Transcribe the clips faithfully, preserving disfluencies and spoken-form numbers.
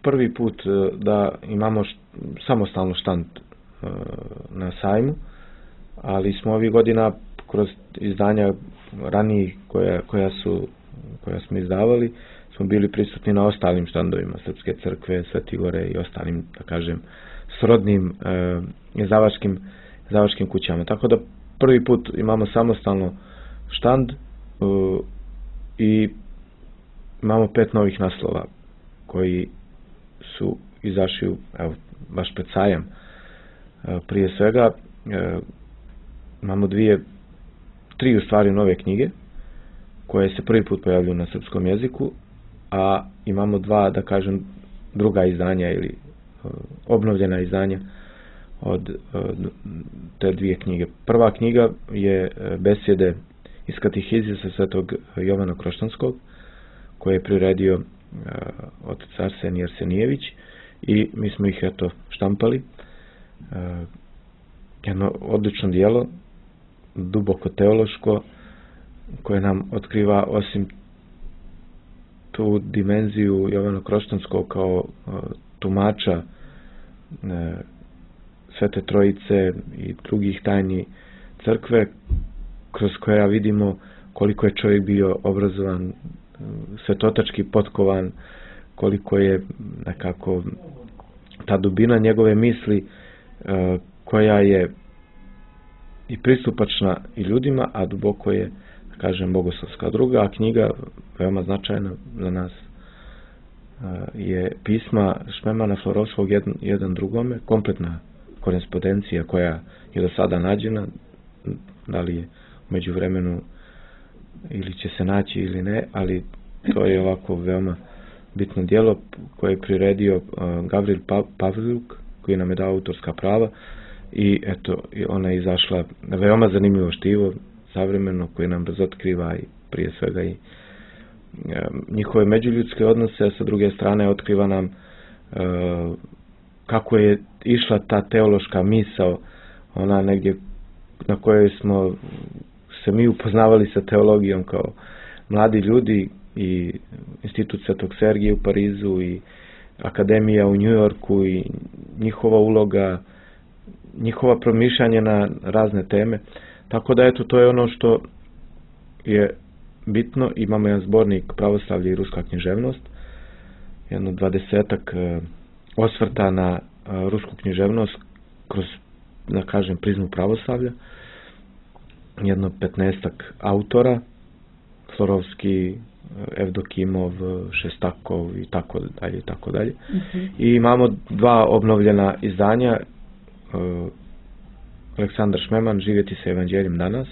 prvi put da imamo št, samostalno štand na sajmu, ali smo ovih godina kroz izdanja ranijih koja, koja, su, koja smo izdavali, smo bili prisutni na ostalim štandovima Srpske crkve, Sveti Gore i ostalim, da kažem, srodnim e, izdavačkim, izdavačkim kućama. Tako da prvi put imamo samostalno štand e, i imamo pet novih naslova koji su izašli, evo, baš pred sajam. E, prije svega e, imamo dvije, tri u stvari nove knjige koje se prvi put pojavljuju na srpskom jeziku, a imamo dva, da kažem, druga izdanja ili uh, obnovljena izdanja od uh, te dvije knjige. Prva knjiga je uh, besjede iz Katehizisa Svetog Jovana Kroštanskog, koje je priredio uh, otac Arsenij Arsenijević, i mi smo ih, eto, štampali. Uh, jedno odlično dijelo, duboko teološko, koje nam otkriva, osim tu dimenziju Jovana Kroštanskog kao uh, tumača uh, Svete Trojice i drugih tajni crkve, kroz koja vidimo koliko je čovjek bio obrazovan, uh, svetotački potkovan, koliko je nekako ta dubina njegove misli uh, koja je i pristupačna i ljudima, a duboko je, da kažem, bogoslovska. Druga knjiga, veoma značajna za nas, je pisma Šmemana Florovskog jedan, jedan drugome, kompletna korespondencija koja je do sada nađena, da li je umeđu vremenu ili će se naći ili ne, ali to je ovako veoma bitno djelo koje je priredio Gavril Pavljuk, koji nam je dao autorska prava, i eto, ona je izašla veoma zanimljivo štivo, savremeno, koje nam razotkriva i prije svega i e, njihove međuljudske odnose, a sa druge strane otkriva nam e, kako je išla ta teološka misao, ona negdje na kojoj smo se mi upoznavali sa teologijom kao mladi ljudi, i Institut Svetog Sergija u Parizu i Akademija u Njujorku i njihova uloga, njihova promišljanje na razne teme. Tako da, eto, to je ono što je bitno. Imamo jedan zbornik Pravoslavlje i ruska književnost, jedno dvadesetak e, osvrta na e, rusku književnost kroz, da kažem, prizmu pravoslavlja, jedno petnaestak autora, Florovski, Evdokimov, Šestakov i tako dalje i tako dalje. Mm-hmm. I imamo dva obnovljena izdanja, uh, Aleksandar Šmeman, Živjeti sa evanđeljem danas,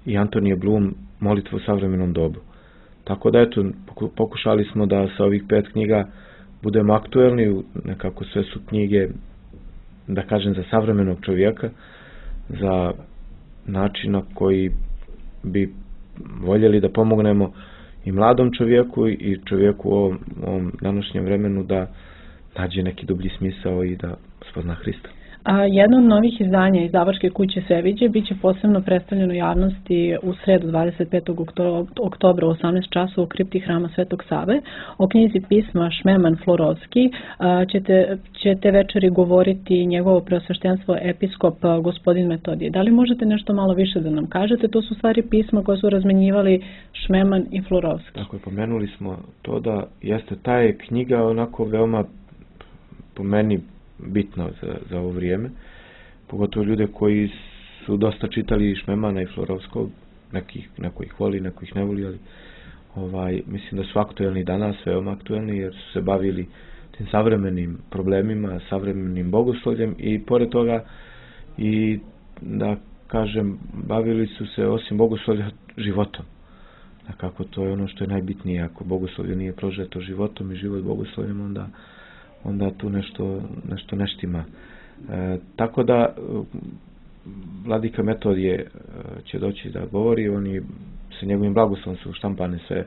i Antonije Blum, Molitva u savremenom dobu. Tako da, eto, pokušali smo da sa ovih pet knjiga budemo aktuelni, nekako sve su knjige, da kažem, za savremenog čovjeka, za način na koji bi voljeli da pomognemo i mladom čovjeku i čovjeku u ovom, ovom današnjem vremenu da nađe neki dublji smisao i da spozna Hrista. A jedno od novih izdanja izdavačke kuće Sveviđe biće posebno predstavljeno javnosti u sredu dvadeset petog oktobra u osamnaest časova u kripti Hrama Svetog Save. O knjizi pisma Šmeman Florovski ćete, ćete večeri govoriti njegovo preosveštenstvo episkop gospodin Metodije. Da li možete nešto malo više da nam kažete? To su stvari pisma koje su razmenjivali Šmeman i Florovski. Tako je, pomenuli smo to da jeste ta je knjiga onako veoma, po meni, bitno za, za ovo vrijeme, pogotovo ljude koji su dosta čitali Šmemana i Florovskog, nekih, neko ih voli, neko ih ne voli, ali ovaj, mislim da su aktuelni danas, veoma aktuelni, jer su se bavili tim savremenim problemima, savremenim bogoslovljem, i pored toga i, da kažem, bavili su se osim bogoslovlja životom. Kako to je ono što je najbitnije. Ako bogoslovlje nije prožeto životom i život bogoslovljem, onda onda tu nešto, nešto neštima. E, tako da vladika Metodije će doći da govori, oni sa njegovim blagoslovom su štampane sve,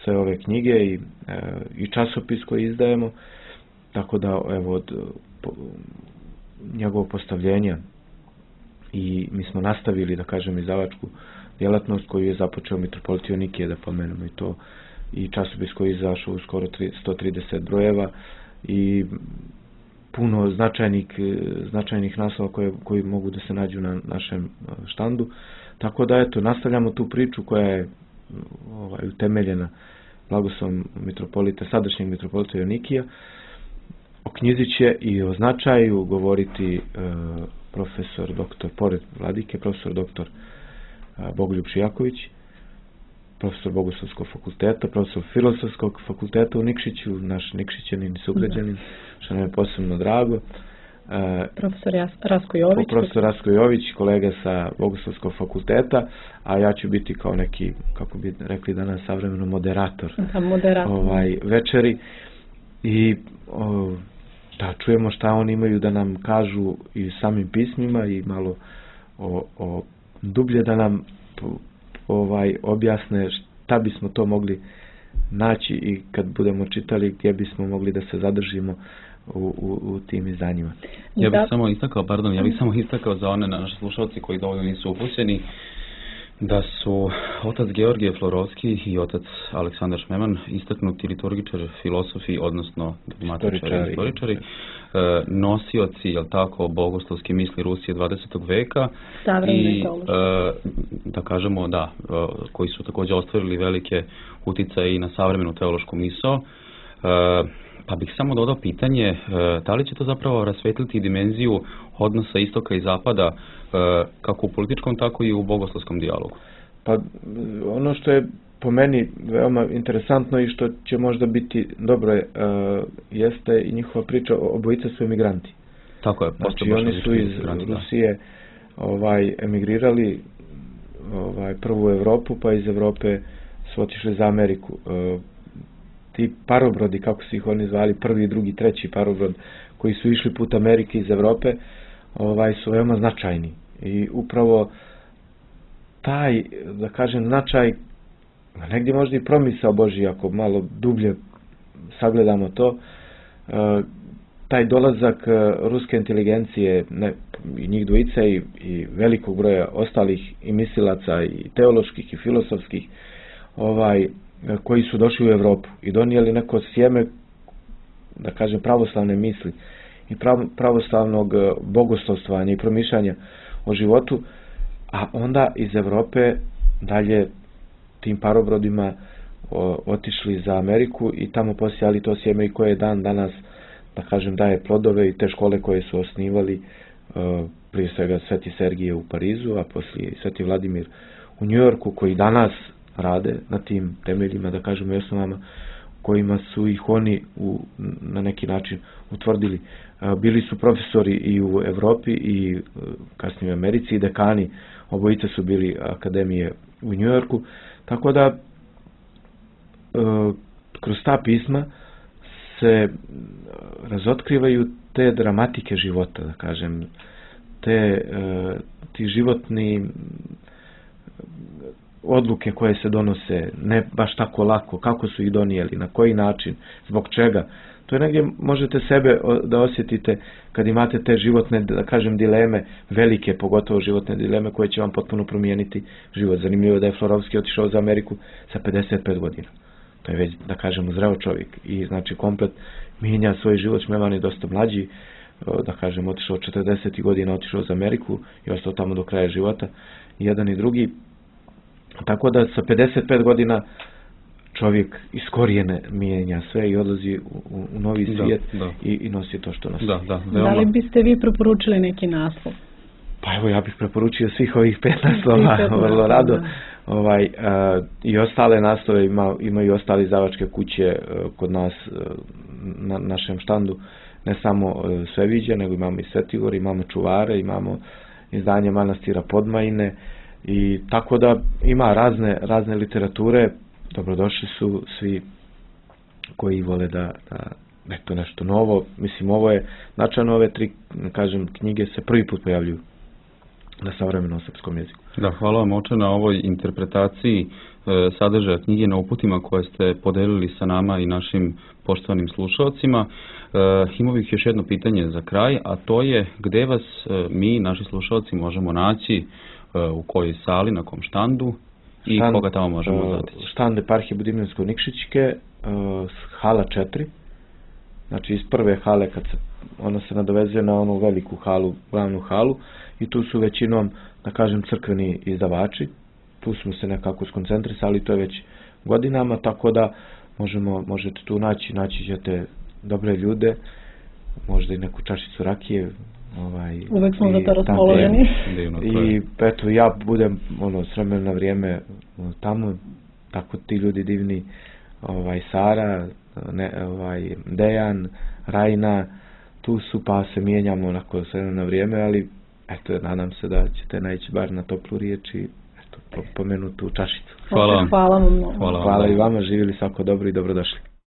sve ove knjige i, e, i časopis koji izdajemo, tako da, evo, od po, njegovog postavljenja i mi smo nastavili, da kažem, izdavačku djelatnost koju je započeo mitropolit Jonikije, da pomenemo i to, i časopis koji je izašao u skoro sto trideset brojeva i puno značajnih, značajnih naslova koje, koji mogu da se nađu na našem štandu. Tako da, eto, nastavljamo tu priču koja je ovaj, utemeljena blagoslovom mitropolita, sadašnjeg mitropolita Joanikija. O knjizi će i o značaju govoriti e, profesor doktor, pored vladike, profesor doktor e, Bogoljub Šijaković, profesor Bogoslovskog fakulteta, profesor Filosofskog fakulteta u Nikšiću, naš Nikšićanin i sugrađanin, što nam je posebno drago. E, profesor Rasko Jović. Profesor Rasko Jović, kolega sa Bogoslovskog fakulteta, a ja ću biti kao neki, kako bi rekli danas savremeno, moderator, da, moderator. Ovaj, večeri. I o, da čujemo šta oni imaju da nam kažu i samim pismima i malo o, o dublje da nam ovaj objasne šta bismo to mogli naći i kad budemo čitali gdje bismo mogli da se zadržimo u, u, u tim izdanjima. Ja bih samo istakao, pardon, ja bih samo istakao za one naše slušalci koji dovoljno nisu upućeni da su otac Georgije Florovski i otac Aleksandar Šmeman, istaknuti liturgičari, filosofi, odnosno dogmatičari, istoričari, nosioci, jel tako, bogoslovske misli Rusije dvadesetog veka i, da kažemo, da, koji su također ostvarili velike uticaje i na savremenu teološku misao. Pa bih samo dodao pitanje, da li će to zapravo rasvetliti dimenziju odnosa istoka i zapada kako u političkom, tako i u bogoslovskom dijalogu? Pa ono što je po meni veoma interesantno i što će možda biti dobro je, uh, jeste i njihova priča, obojica su emigranti. Tako je. Znači oni su iz Rusije ovaj, emigrirali ovaj, prvo u Evropu, pa iz Evrope su otišli za Ameriku. Uh, ti parobrodi, kako su ih oni zvali, prvi, drugi, treći parobrod, koji su išli put Amerike iz Evrope, ovaj, su veoma značajni. I upravo taj, da kažem, značaj, negdje možda i promisao Božji, ako malo dublje sagledamo to, taj dolazak ruske inteligencije, ne, i njih dvojica i, i velikog broja ostalih i mislilaca i teoloških i filosofskih, ovaj, koji su došli u Evropu i donijeli neko sjeme, da kažem, pravoslavne misli i pravoslavnog bogoslovstvanja i promišljanja o životu, a onda iz Evrope dalje tim parobrodima o, otišli za Ameriku i tamo posijali to sjeme i koje dan danas, da kažem, daje plodove i te škole koje su osnivali, uh, prije svega Sveti Sergije u Parizu, a poslije Sveti Vladimir u Njujorku, koji danas rade na tim temeljima, da kažemo, i osnovama kojima su ih oni u, na neki način utvrdili. Uh, bili su profesori i u Evropi i uh, kasnije u Americi i dekani, obojice su bili akademije u Njujorku, tako da uh, kroz ta pisma se razotkrivaju te dramatike života, da kažem, te uh, ti životni odluke koje se donose, ne baš tako lako, kako su ih donijeli, na koji način, zbog čega. To je negdje, možete sebe da osjetite kad imate te životne, da kažem, dileme, velike, pogotovo životne dileme koje će vam potpuno promijeniti život. Zanimljivo je da je Florovski otišao za Ameriku sa pedeset pet godina. To je već, da kažemo, zreo čovjek i znači komplet mijenja svoj život. Šmeman je dosta mlađi, da kažem, otišao četrdeset godina, otišao za Ameriku i ostao tamo do kraja života, jedan i drugi. Tako da sa pedeset pet godina čovjek iz korijene mijenja sve i odlazi u, u novi svijet, da, da. I, i nosi to što nosi. Da, da, da li biste vi preporučili neki naslov? Pa evo, ja bih preporučio svih ovih pet naslova, vrlo rado. Ovaj, a, i ostale naslove ima, imaju i ostali izdavačke kuće a, kod nas a, na našem štandu, ne samo a, Sveviđe, nego imamo i Svetigor, imamo Čuvare, imamo izdanje manastira Podmajine i tako da ima razne, razne literature. Dobrodošli su svi koji vole da, da eto nešto novo. Mislim, ovo je značajno, ove tri, kažem, knjige se prvi put pojavljuju na savremenom srpskom jeziku. Da, hvala vam, oče, na ovoj interpretaciji e, sadržaja knjige, na uputima koje ste podelili sa nama i našim poštovanim slušalcima. E, imao bih još jedno pitanje za kraj, a to je gdje vas e, mi, naši slušalci, možemo naći, e, u kojoj sali, na kom štandu I štand, koga tamo možemo uh, zatići? Štand eparhije Budimljansko-Nikšićke, uh, hala četiri, znači iz prve hale kad se ona se nadovezuje na onu veliku halu, glavnu halu, i tu su većinom, da kažem, crkveni izdavači. Tu smo se nekako skoncentrisali, to je već godinama, tako da možemo, možete tu naći, naći ćete dobre ljude, možda i neku čašicu rakije. Ovaj, uvek smo za to raspoloženi. I eto, ja budem ono, s vremena na vrijeme tamo, tako ti ljudi divni, ovaj, Sara, ne, ovaj, Dejan, Rajna, tu su, pa se mijenjamo onako s vremena na vrijeme, ali eto, nadam se da ćete naići bar na toplu riječ i eto, pomenutu čašicu. Hvala vam. Hvala vam mnogo. Hvala, Hvala i vama, živjeli svako dobro i dobrodošli.